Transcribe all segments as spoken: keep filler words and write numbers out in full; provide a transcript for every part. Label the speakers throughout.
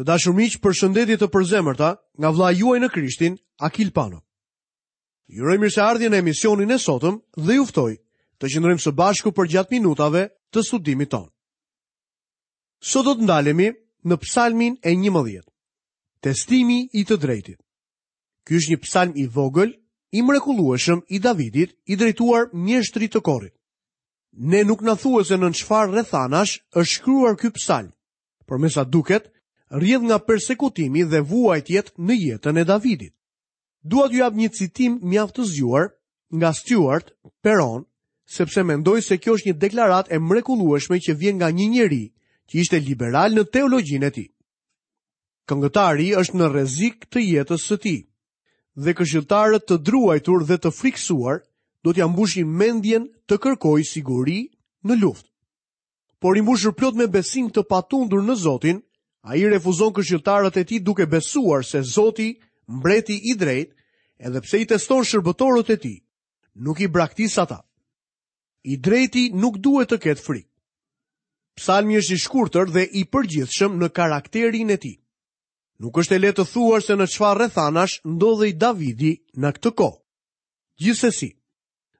Speaker 1: Të dashur miq, përshëndetje të përzemërta nga vëllai juaj në Krishtin, Akil Pano. Ju uroj mirëseardhje në emisionin e sotëm dhe ju ftoj të qëndrojmë së bashku përgjatë minutave të studimit tonë. Sot do të ndalemi në Psalmin e njëmbëdhjetë. Testimi i të drejtit. Ky është një psalm i vogël, i mrekullueshëm i Davidit, i drejtuar mjeshtrit të korit. Ne nuk na thuhet se në çfarë rrethanash është shkruar ky psalm, por me sa duket, rrjedh nga persekutimi dhe vuajtjet në jetën e Davidit. Dua t'ju jap një citim mjaft të zgjuar nga Stuart Perron, sepse mendoj se kjo është një deklaratë e mrekullueshme që vjen nga një njeri që ishte liberal në teologjinë e tij. Këngëtari është në rrezik të jetës së tij dhe këshilltarët të druajtur dhe të friksuar do t'ia mbushin mendjen të kërkojë siguri në luftë. Por i mbushur plot me besim të patundur në Zotin, ai refuzon këshilltarët e tij duke besuar se Zoti, mbreti i drejtë, edhe pse i teston shërbëtorët e tij, nuk i braktis ata. I drejti nuk duhet të ketë frikë. Psalmi është i shkurtër dhe i përgjithshëm në karakterin e tij. Nuk është e lehtë të thuash se në çfarë rrethanash ndodhej Davidi në këtë kohë. Gjithsesi,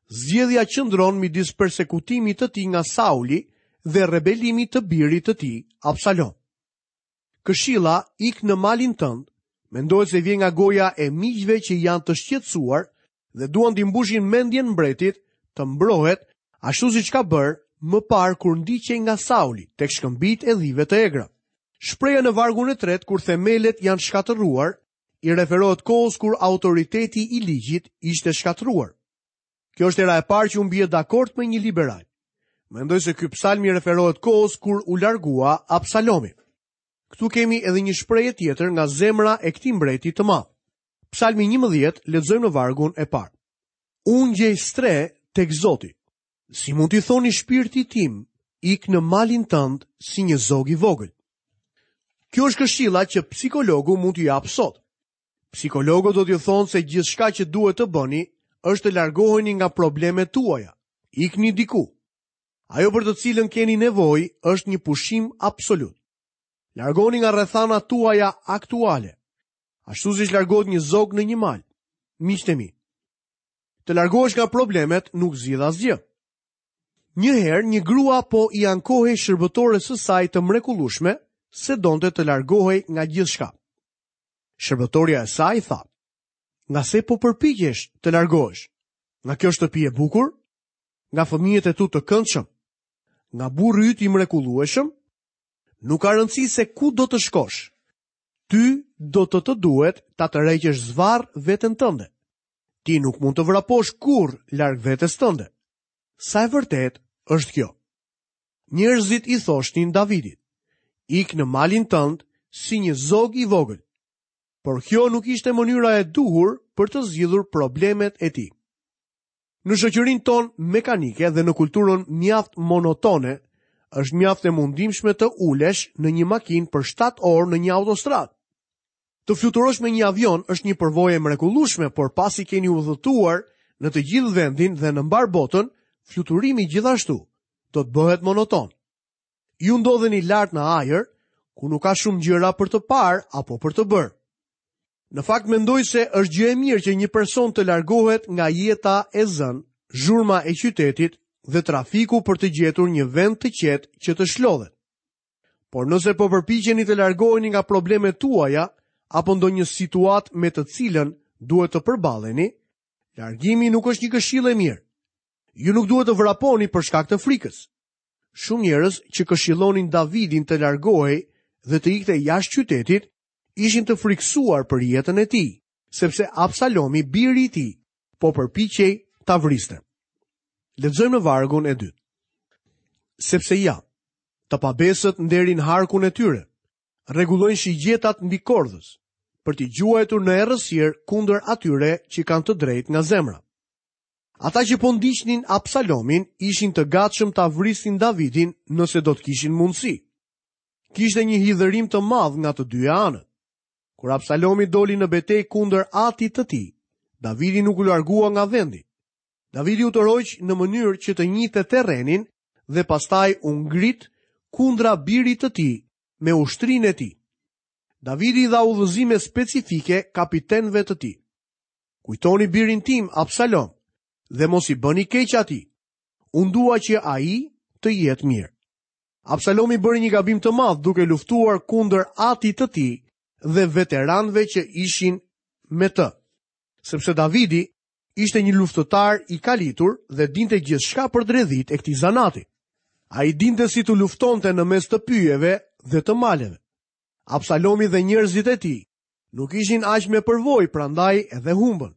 Speaker 1: zgjedhja qëndron midis persekutimit të tij nga Sauli dhe rebelimit të birit të tij, Absalom. Këshilla ik në malin tënd, mendohet se vjen nga goja e miqve që janë të shqetësuar dhe duan t'i mbushin mendjen mbretit të mbrohet ashtu siç ka bërë më parë kur ndiqej nga Sauli tek shkëmbit e dhive të egra. Shpreha në vargun e tretë kur themelet janë shkatërruar, i referohet kohës kur autoriteti i ligjit ishte shkatërruar. Kjo është era e parë që unë bie dakord me një liberal. Mendoj se ky psalm i referohet kohës kur u largua Absalomi. Këtu kemi edhe një shprehje tjetër nga zemra e këtij mbreti të madh. Psalmi njëmbëdhjetë, lexojmë në vargun e parë. Unë gjej strehë tek Zoti. Si mund t'i thoni shpirtit tim, ik në malin tënd si një zog i vogël. Kjo është këshilla që psikologu mund t'ju japë sot. Psikologët do t'ju thonë se gjithçka që duhet të bëni është të largoheni nga problemet tuaja. Ikni diku. Ajo për të cilën keni nevojë është një pushim absolut. Largoni nga rrethanat tuaja aktuale, ashtu siç largohet një zog në një mal. Miqtë e mi, të largohesh nga problemet nuk zgjidh asgjë. Një herë një grua po i ankohej shërbëtores së saj të mrekullueshme se donte të largohej nga gjithçka. Shërbëtoria e saj tha: Nga se po përpiqesh të largohesh? Nga kjo shtëpi e bukur? Nga fëmijët e tu të këndshëm? Nga burri yt i mrekullueshëm? Nuk ka rëndësi se ku do të shkosh. Ty do të të duhet ta tërheqësh zvarr veten tënde. Ti nuk mund të vraposh kurrë larg vetes tënde. Sa e vërtet është kjo? Njerëzit i thoshnin Davidit: Ik në malin tënd si një zog i vogël. Por kjo nuk ishte mënyra e duhur për të zgjidhur problemet e tij. Në shoqërinë tonë mekanike dhe në kulturën mjaft monotone, është mjaft e mundimshme të ulesh në një makinë për shtatë orë në një autostradë. Të fluturosh me një avion është një përvojë e mrekullueshme, por pasi keni udhëtuar në të gjithë vendin dhe në mbar botën, fluturimi gjithashtu do të bëhet monoton. Ju ndodheni lart në ajër, ku nuk ka shumë gjëra për të parë apo për të bërë. Në fakt mendoj se është gjë e mirë që një person të largohet nga jeta e zënë, zhurma e qytetit dhe trafiku për të gjetur një vend të qetë që të shlodhet. Por nëse po përpiqeni të largoheni nga problemet tuaja apo ndonjë situatë me të cilën duhet të përballeni, largimi nuk është një këshillë e mirë. Ju nuk duhet të vraponi për shkak të frikës. Shumë njerëz që këshillonin Davidin të largohej dhe të ikte jashtë qytetit, ishin të friksuar për jetën e tij, sepse Absalomi, biri i tij, po përpiqej ta vriste. Lexojmë në vargun e dytë. Sepse ja, të pabesët nderin harkun e tyre, rregullojnë shigjetat mbi kordhës, për t'i gjuajtur në errësirë kundër atyre që kanë të drejtë nga zemra. Ata që po ndiqnin Absalomin ishin të gatshëm ta vrisnin Davidin nëse do të kishin mundësi. Kishte një hidhërim të madh nga të dyja anët. Kur Absalomi doli në betejë kundër atit të tij, Davidi nuk u largua nga vendi. Davidi u tërhoq në mënyrë që të njihte terrenin dhe pastaj u ngrit kundra birit të tij me ushtrinë e tij. Davidi i dha udhëzime specifike kapitenëve të tij. Kujtoni birin tim, Absalom, dhe mos i bëni keq atij. Unë dua që ai të jetë mirë. Absalomi bëri një gabim të madh duke luftuar kundër atit të tij dhe veteranëve që ishin me të. Sepse Davidi ishte një luftëtar i kalitur dhe dinte gjithçka për dredhit e këtij zanati. Ai dinte si të luftonte në mes të pyjeve dhe të maleve. Absalomi dhe njerëzit e tij nuk ishin aq me përvojë, prandaj edhe humbën.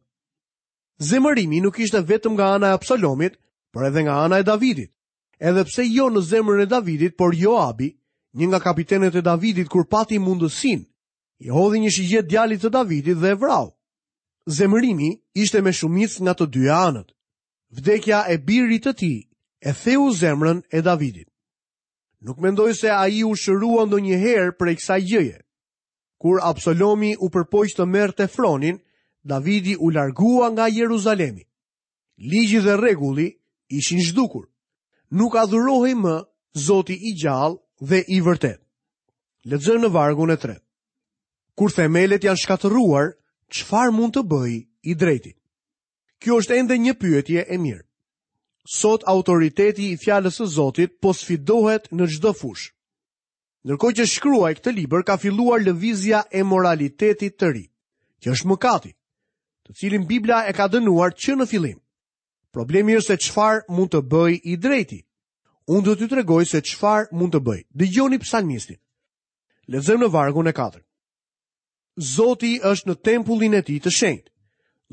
Speaker 1: Zemërimi nuk ishte vetëm nga ana e Absalomit, por edhe nga ana e Davidit. Edhe pse jo në zemrën e Davidit, por Joabi, një nga kapitenët e Davidit kur pati mundësinë, i hodhi një shigjet djalit të Davidit dhe e vrau. Zemërimi ishte me shumicë nga të dyja anët. Vdekja e birit të tij e theu zemrën e Davidit. Nuk mendoj se ai u shërua ndonjëherë prej kësaj gjëje. Kur Absalomi u përpoq të merrte fronin, Davidi u largua nga Jeruzalemi. Ligji dhe rregulli ishin zhdukur. Nuk adhurohej më Zoti i gjallë dhe i vërtet. Lexojmë në vargun e tretë. Kur themelet janë shkatërruar, çfarë mund të bëj i drejti? Kjo është ende një pyetje e mirë. Sot autoriteti i fjalës së Zotit po sfidohet në çdo fushë. Ndërkohë që shkruaj këtë libër, ka filluar lëvizja e moralitetit të ri, që është mëkati, të cilin Bibla e ka dënuar që në fillim. Problemi është se çfarë mund të bëj i drejti. Unë do t'ju tregoj se çfarë mund të bëj. Dëgjoni psalmistin. Lexojmë në vargun e katërt. Zoti është në tempullin e tij të shenjtë.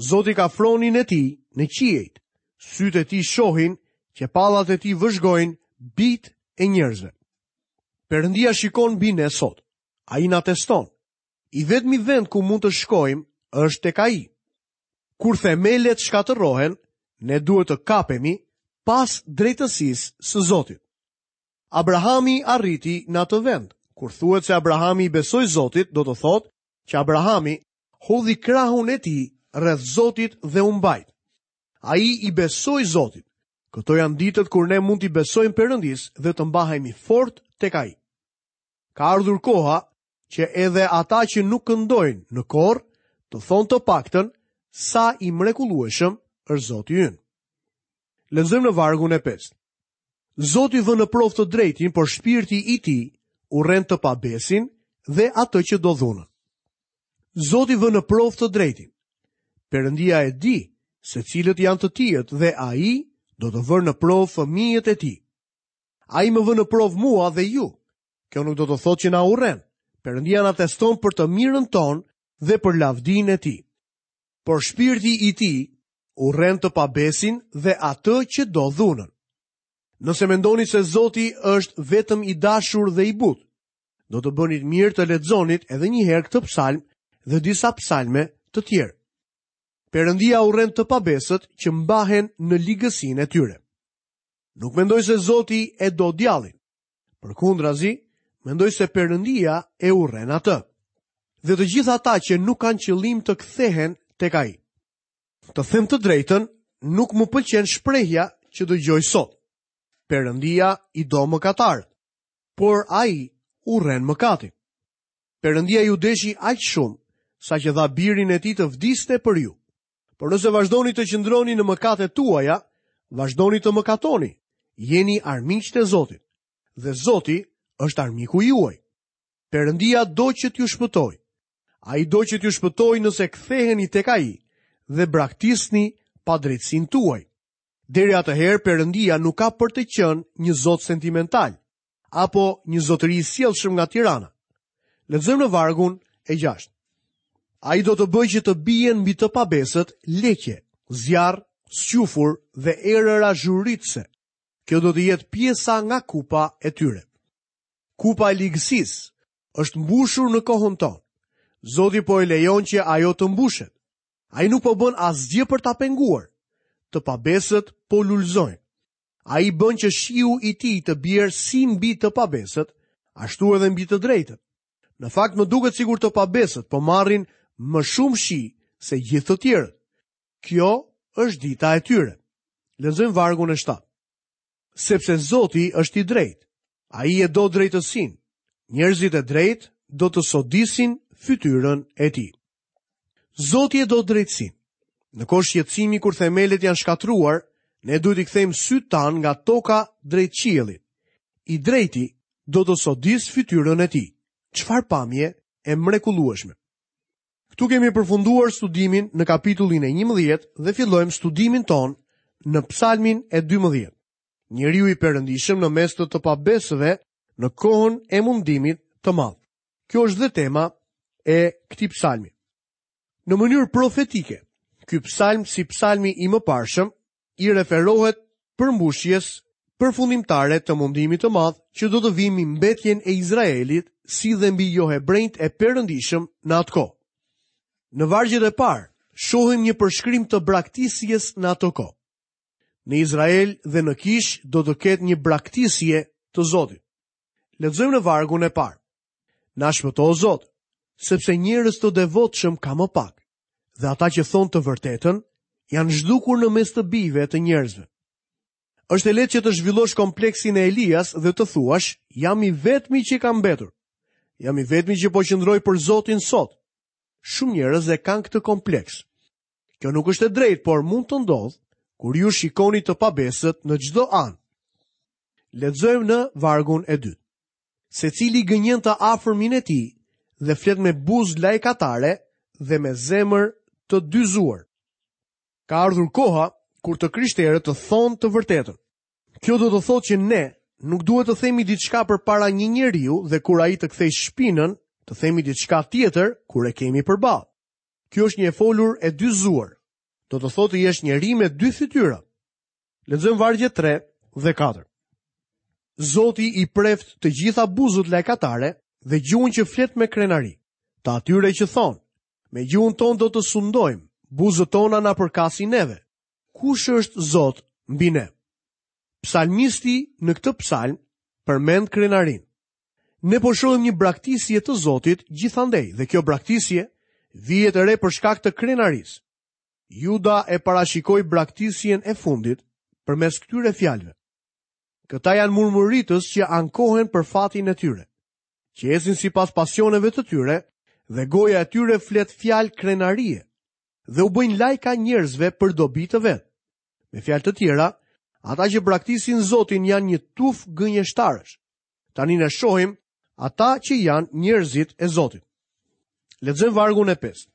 Speaker 1: Zoti ka fronin e tij në qiejt. Sytë e tij shohin, qepallat e tij vëzhgojnë bit e njerëzve. Perëndia shikon mbi ne sot. Ai na teston. I vetmi vend ku mund të shkojmë është tek ai. Kur themelet shkatërrohen, ne duhet të kapemi pas drejtësisë së Zotit. Abrahami arriti në atë vend. Kur thuhet se Abrahami i besoi Zotit, do të thotë që Abrahami hodhi krahun e tij rreth Zotit dhe u mbajt. Ai i besoi Zotit. Këto janë ditët kur ne mund t'i besojmë Perëndisë dhe të mbahemi fort tek ai. Ka ardhur koha që edhe ata që nuk këndojnë në kor, të thonë të paktën sa i mrekullueshëm është Zoti ynë. Lexojmë në vargun e pestë. Zoti vë në provë të drejtin, por shpirti i tij urren të pabesin dhe atë që do dhunën. Zoti vë në provë të drejtin. Perëndia e di se cilët janë të tijët dhe ai do të vërë në provë fëmijët e tij. Ai më vë në provë mua dhe ju. Kjo nuk do të thotë që na urren. Perëndia na teston për të mirën tonë dhe për lavdinë e tij. Por shpirti i tij urren të pabesin dhe atë që do dhunën. Nëse mendoni se Zoti është vetëm i dashur dhe i butë, do të bënit mirë të lexonit edhe një herë këtë psalm dhe disa psalme të tjerë. Perëndia urren të pabesët që mbahen në ligësinë e tyre. Nuk mendoj se Zoti e do djallin. Përkundrazi, mendoj se Perëndia e urren atë. Dhe të gjithë ata që nuk kanë qëllim të kthehen tek ai. Të them të drejtën, nuk më pëlqen shprehja që dëgjoj sot. Perëndia i do mëkatarët, por ai urren mëkatin. Perëndia ju deshi aq shumë sa që dha birin e tij të vdiste për ju. Por nëse vazhdoni të qëndroni në mëkatet tuaja, vazhdoni të mëkatoni. Jeni armiqtë e Zotit dhe Zoti është armiku juaj. Perëndia do që t'ju shpëtojë. Ai do që t'ju shpëtojë nëse ktheheni tek ai dhe braktisni padrejtësinë tuaj. Deri atëherë Perëndia nuk ka për të qenë një Zot sentimental apo një zotëri i sjellshëm nga Tirana. Lexojmë në vargun e gjashtë. Ai do të bëjë që të bien mbi të pabesët leqe, zjarr, squfur dhe erëra zhuritëse. Kjo do të jetë pjesa nga kupa e tyre. Kupa e ligësisë është mbushur në kohën tonë. Zoti po e lejon që ajo të mbushet. Ai nuk po bën asgjë për ta penguar. Të pabesët po lulëzojnë. Ai bën që shiu i tij të bjerë si mbi të pabesët, ashtu edhe mbi të drejtët. Në fakt më duket sikur të pabesët po marrin më shumë shi se gjithë të tjerët. Kjo është dita e tyre. Lexojmë vargun e shtatë. Sepse Zoti është i drejtë. Ai e do drejtësinë. Njerëzit e drejtë do të sodisin fytyrën e tij. Zoti e do drejtësinë. Në kohë shqetësimi kur themelet janë shkatërruar, ne duhet t'i kthejmë sytë tanë nga toka drejt qiellit. I drejti do të sodis fytyrën e tij. Çfarë pamje e mrekullueshme. Këtu kemi përfunduar studimin në kapitullin e njëmbëdhjetë dhe fillojmë studimin tonë në psalmin e dymbëdhjetë. Njeriu i perëndishëm në mes të të pabesëve në kohën e mundimit të madh. Kjo është dhe tema e këtij psalmi. Në mënyrë profetike, ky psalm si psalmi i mëparshëm i referohet përmbushjes përfundimtare të mundimit të madh që do të vijë mbi mbetjen e Izraelit si dhe mbi johebrenjt e perëndishëm në atë kohë. Në vargjet e parë, shohim një përshkrim të braktisjes në atë kohë. Në Izrael dhe në kish do të ketë një braktisje të Zotit. Lexojmë në vargun e parë. Na shpëto o Zot, sepse njerëz të devotshëm ka më pak, dhe ata që thonë të vërtetën janë zhdukur në mes të bijve të njerëzve. Është e lehtë që të zhvillosh kompleksin e Elias dhe të thuash, jam i vetmi që kam mbetur. Jam i vetmi që po qëndroj për Zotin sot. Shumë njerëz e kanë këtë kompleks. Kjo nuk është e drejtë, por mund të ndodhë kur ju shikoni të pabesët në çdo anë. Lexojmë në vargun e dytë. Secili gënjen të afërmin e tij dhe flet me buzë lajkatare dhe me zemër të dyzuar. Ka ardhur koha kur të krishterët të thonë të vërtetën. Kjo do të thotë që ne nuk duhet të themi diçka përpara një njeriu dhe kur ai të kthejë shpinën, të themi diçka tjetër kur e kemi përballë. Kjo është një e folur e dyzuar. Do të thotë të jesh njeri me dy fytyra. Lexojmë vargjet tre dhe katër. Zoti i preft të gjitha buzët lajkatare dhe gjuhën që flet me krenari, të atyre që thonë, me gjuhën tonë do të sundojmë, buzët tona na përkasin neve. Kush është Zot mbi ne? Psalmisti në këtë psalm përmend krenarinë. Ne po shohim një braktisje të Zotit gjithandej dhe kjo braktisje vihet re për shkak të krenarisë. Juda e parashikoi braktisjen e fundit përmes këtyre fjalëve. Këta janë murmuritës që ankohen për fatin e tyre, që ecin sipas pasioneve të tyre dhe goja e tyre flet fjalë krenarie dhe u bëjnë lajka njerëzve për dobi të vet. Me fjalë të tjera, ata që braktisin Zotin janë një tuf gënjeshtarësh. Tani ne shohim ata që janë njerëzit e Zotit. Lexojmë vargun e pestë.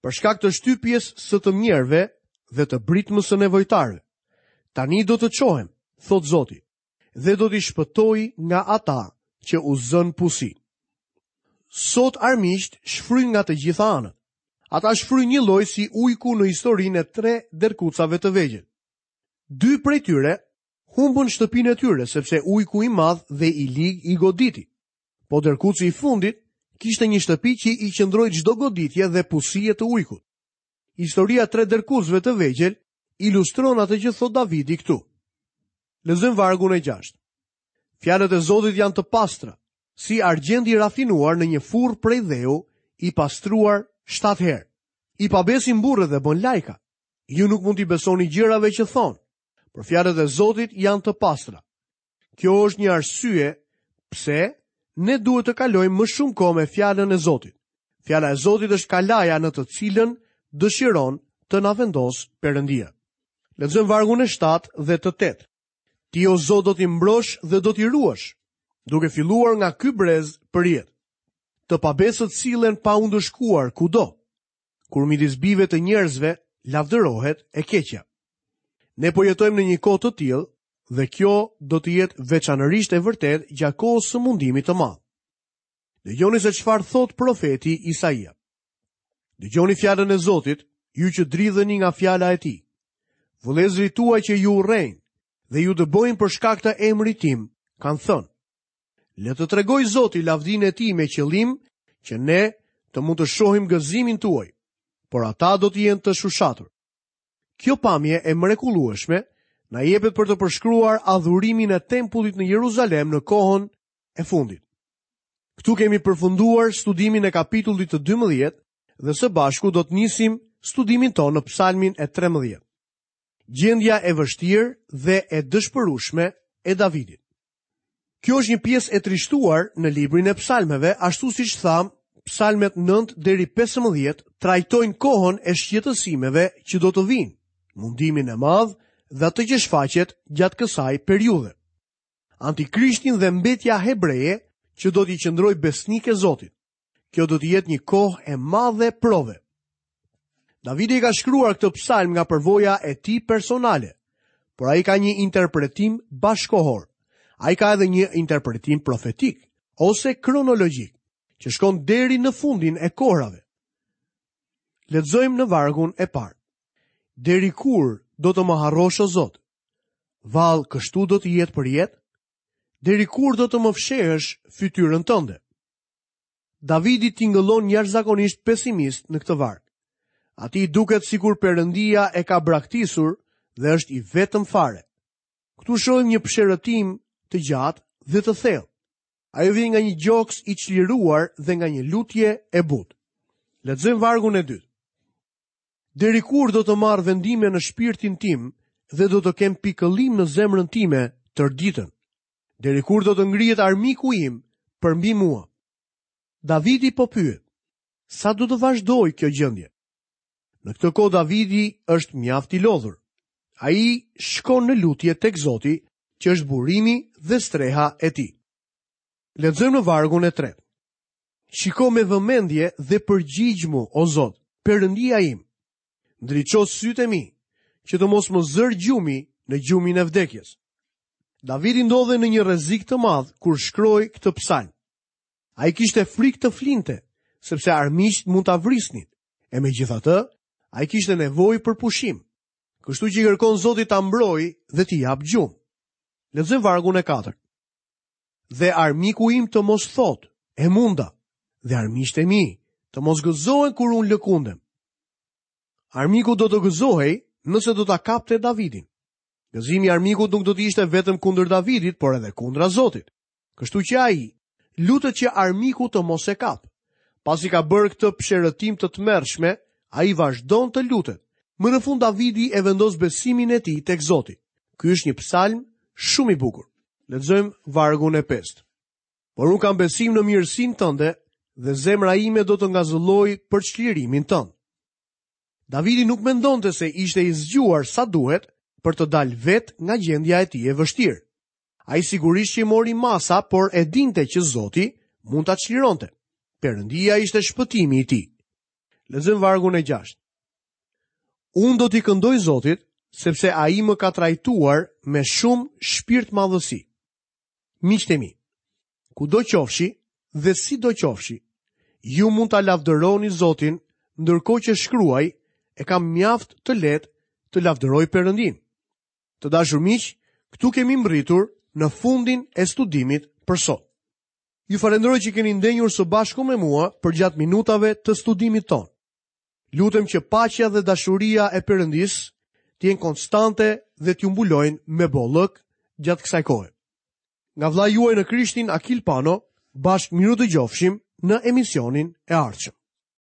Speaker 1: Për shkak të shtypjes së të mjerëve dhe të britmës së nevojtarëve, tani do të çohem, thot Zoti, dhe do t'i shpëtoj nga ata që u zën pusi. Sot armiqt shfryjnë nga të gjitha anët. Ata shfryjnë një lloj si ujku në historinë e tre derkucave të vegjël. Dy prej tyre humbën shtëpinë e tyre sepse ujku i madh dhe i lig i goditi. Po derkuci i fundit kishte një shtëpi që i qëndroi çdo goditje dhe pusie të ujkut. Historia e tre derkucëve të vegjël ilustron atë që thot Davidi këtu. Lexojmë vargun e gjashtë. Fjalët e Zotit janë të pastra, si argjendi i rafinuar në një furrë prej dheu, i pastruar shtatë herë. I pabesi mburret dhe bën lajka. Ju nuk mund t'i besoni gjërave që thonë, por fjalët e Zotit janë të pastra. Kjo është një arsye pse ne duhet të kalojmë më shumë kohë me fjalën e Zotit. Fjala e Zotit është kalaja në të cilën dëshiron të na vendos Perëndia. Lexojmë vargun e shtatë dhe të tetë. Ti o Zot do t'i mbrosh dhe do t'i ruash, duke filluar nga ky brez për jetë. Të pabesët sillen pa u ndëshkuar kudo, kur midis bijve të njerëzve lavdërohet e keqja. Ne po jetojmë në një kohë të tillë dhe kjo do të jetë veçanërisht e vërtetë gjatë kohës së mundimit të madh. Dëgjoni se çfarë thot profeti Isaia. Dëgjoni fjalën e Zotit, ju që dridheni nga fjala e tij. Vëllezërit tuaj që ju urrejnë dhe ju dëbojnë për shkak të emrit tim, kanë thënë: Le të tregoj Zoti lavdinë e tij me qëllim që ne të mund të shohim gëzimin tuaj, por ata do të jenë të shushatur. Kjo pamje e mrekullueshme na jepet për të përshkruar adhurimin e tempullit në Jeruzalem në kohën e fundit. Këtu kemi përfunduar studimin e kapitullit të dymbëdhjetë dhe së bashku do të nisim studimin tonë në psalmin e trembëdhjetë. Gjendja e vështirë dhe e dëshpërueshme e Davidit. Kjo është një pjesë e trishtuar në librin e psalmeve, ashtu siç thamë, psalmet nëntë deri pesëmbëdhjetë trajtojnë kohën e shqetësimeve që do të vinë, mundimin e madh dhe atë që shfaqet gjatë kësaj periudhe. Antikrishtin dhe mbetja hebreje që do t'i qëndrojë besnike Zotit. Kjo do të jetë një kohë e madhe prove. Davidi ka shkruar këtë psalm nga përvoja e tij personale, por ai ka një interpretim bashkohor. Ai ka edhe një interpretim profetik ose kronologjik, që shkon deri në fundin e kohrave. Lexojmë në vargun e parë. Deri kur do të më harrosh, o Zot? Vallë, kështu do të jetë për jetë? Deri kur do të më fshehësh fytyrën tënde? Davidi tingëllon jashtëzakonisht pesimist në këtë varg. Atij i duket sikur Perëndia e ka braktisur dhe është i vetëm fare. Këtu shohim një psherëtim të gjatë dhe të thellë. Ajo vjen nga një gjoks i çliruar dhe nga një lutje e butë. Lexojmë vargun e dytë. Deri kur do të marr vendime në shpirtin tim dhe do të kem pikëllim në zemrën time tërë ditën? Deri kur do të ngrihet armiku im përmbi mua? Davidi po pyet, sa do të vazhdojë kjo gjendje? Në këtë kohë Davidi është mjaft i lodhur. Ai shkon në lutje tek Zoti, që është burimi dhe streha e tij. Lexojmë në vargun e tretë. Shiko me vëmendje dhe përgjigjmu, o Zot, Perëndia im. Ndriço sytë e mi, që të mos më zër gjumi në gjumin e vdekjes. Davidi ndodhej në një rrezik të madh kur shkroi këtë psalm. Ai kishte frikë të flinte, sepse armiqtë mund ta vrisnin. E megjithatë, ai kishte nevojë për pushim. Kështu që i kërkon Zotit ta mbrojë dhe t'i jap gjumë. Lexojmë vargun e katërt. Dhe armiku im të mos thotë, e munda, dhe armiqtë e mi të mos gëzohen kur unë lëkundem. Armiku do të gëzohej nëse do ta kapte Davidin. Gëzimi i armikut nuk do të ishte vetëm kundër Davidit, por edhe kundra Zotit. Kështu që ai lutet që armiku të mos e kap. Pasi ka bërë këtë psherëtim të tmerrshme, ai vazhdon të lutet. Më në fund Davidi e vendos besimin e tij tek Zoti. Ky është një psalm shumë i bukur. Lexojmë vargun e pestë. Por unë kam besim në mirësinë tënde dhe zemra ime do të ngazëllojë për çlirimin tënd. Davidi nuk mendonte se ishte i zgjuar sa duhet për të dalë vetë nga gjendja e tij e vështirë. Ai sigurisht që mori masa, por e dinte që Zoti mund ta çlironte. Perëndia ishte shpëtimi i tij. Lexojmë vargun e gjashtë. Unë do t'i këndoj Zotit, sepse ai më ka trajtuar me shumë shpirtmadhësi. Miqtë e mi, kudo qofshi dhe si do qofshi, ju mund ta lavdëroni Zotin ndërkohë që shkruaj, e kam mjaft të lehtë të lavdëroj Perëndin. Të dashur miq, këtu kemi mbërritur në fundin e studimit për sot. Ju falenderoj që keni ndenjur së bashku me mua përgjatë minutave të studimit tonë. Lutem që paqja dhe dashuria e Perëndisë të jenë konstante dhe t'ju mbulojnë me bollëk gjatë kësaj kohe. Nga vëllai juaj në Krishtin, Akil Pano, bashkë mirudëgjofshim në emisionin e ardhshëm.